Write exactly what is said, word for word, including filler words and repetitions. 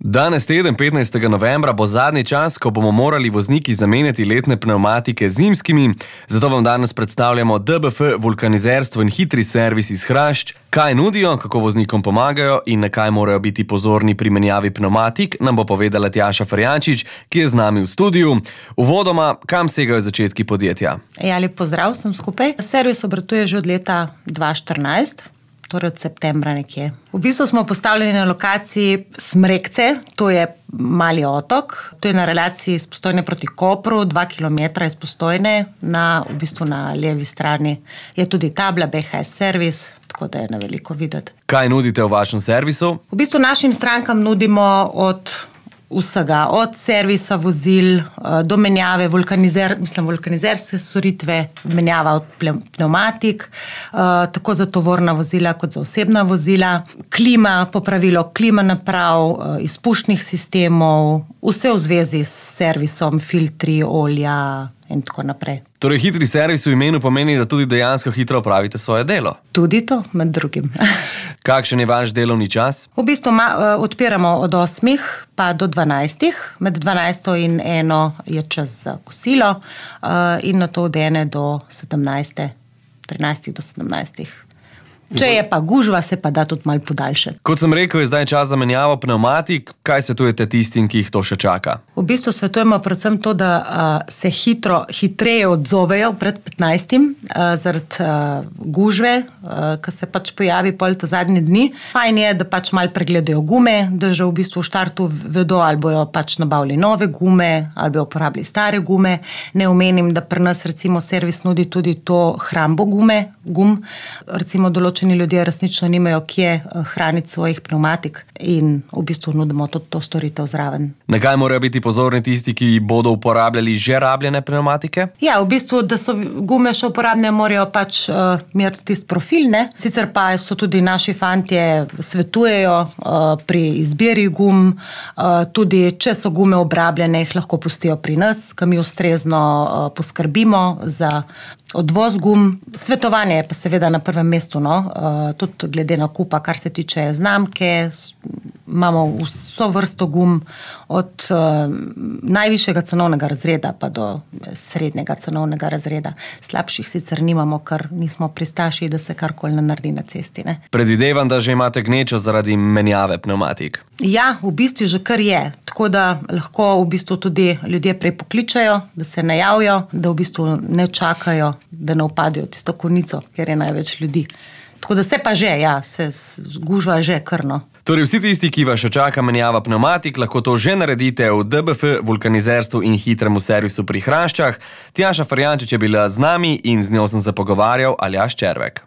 Danes teden, petnajstega novembra, bo zadnji čas, ko bomo morali vozniki zamenjati letne pnevmatike z zimskimi. Zato vam danes predstavljamo D B F, vulkanizerstvo in hitri servis iz Hrašč. Kaj nudijo, kako voznikom pomagajo in na kaj morajo biti pozorni pri menjavi pnevmatik, nam bo povedala Tjaša Ferjančič, ki je z nami v studiu. Uvodoma, kam segajo začetki podjetja? Ja, lep pozdrav vsem skupaj. Servis obratuje že od leta dva tisoč štirinajst. Torej od septembra nekje. V bistvu smo postavljeni na lokaciji Smrekce, to je mali otok, to je na relaciji iz Postojne proti Kopru, dva kilometra iz Postojne, na, v bistvu na levi strani je tudi tabla B H S servis, tako da je na veliko videti. Kaj nudite v vašem servisu? V bistvu našim strankam nudimo od vsega, od servisa vozil do menjave vulkanizer, mislim, vulkanizerske storitve, menjava od pnevmatik, tako za tovorna vozila kot za osebna vozila, klima, popravilo klima naprav, izpušnih sistemov, vse v zvezi s servisom, filtri, olja in tako naprej. Torej, hitri servis v imenu pomeni, da tudi dejansko hitro opravite svoje delo? Tudi to, med drugim. Kakšen je vaš delovni čas? V bistvu ma, odpiramo od osmih pa do dvanajstih. Med dvanajsto in eno je čas za kosilo in na to od ene do sedemnajste, trinajstih do sedemnajstih. Če je pa gužva, se pa da tudi malo podaljšati. Kot sem rekel, je zdaj čas za menjavo pnevmatik. Kaj svetujete tistim, ki jih to še čaka? V bistvu svetujemo predvsem to, da uh, se hitro, hitreje odzovejo pred petnajstim uh, zaradi uh, gužve, uh, ki se pač pojavi pol ta zadnji dni. Fajn je, da pač malo pregledajo gume, da že v bistvu v štartu vedo, ali bojo pač nabavili nove gume, ali bojo uporabili stare gume. Ne omenim, da pri nas recimo servis nudi tudi to hrambo gume, gum. Recimo določeni ljudje resnično nimajo kje hraniti svojih pnevmatik in v bistvu nudimo tudi to storitev zraven. Na kaj morajo biti pozorni tisti, ki bodo uporabljali že rabljene pnevmatike? Ja, v bistvu, da so gume še uporabne, morajo pač uh, imeti tisti profil, ne? Sicer pa so tudi naši fantje svetujejo uh, pri izbiri gum, uh, tudi če so gume obrabljene, jih lahko pustijo pri nas, ki mi ustrezno uh, poskrbimo za odvoz gum. Svetovanje je pa seveda na prvem mestu, no? Uh, tudi glede nakupa, kar se tiče znamke, imamo vso vrsto gum, od uh, najvišjega cenovnega razreda pa do srednjega cenovnega razreda. Slabših sicer nimamo, ker nismo pristaši, da se karkoli ne naredi na cesti. Ne? Predvidevam, da že imate gnečo zaradi menjave pnevmatik. Ja, v bistvu že kar je. Tako da lahko v bistvu tudi ljudje prej pokličajo, da se najavijo, da v bistvu ne čakajo, da ne upadajo tisto konico, ker je največ ljudi. Tako da se pa že, ja, se gužva že krno. Torej vsi tisti, ki vas še čaka menjava pnevmatik, lahko to že naredite v D B F, vulkanizerstvu in hitremu servisu pri Hraščah. Tjaša Ferjančič je bila z nami in z njo sem se pogovarjal Aljaž Červek.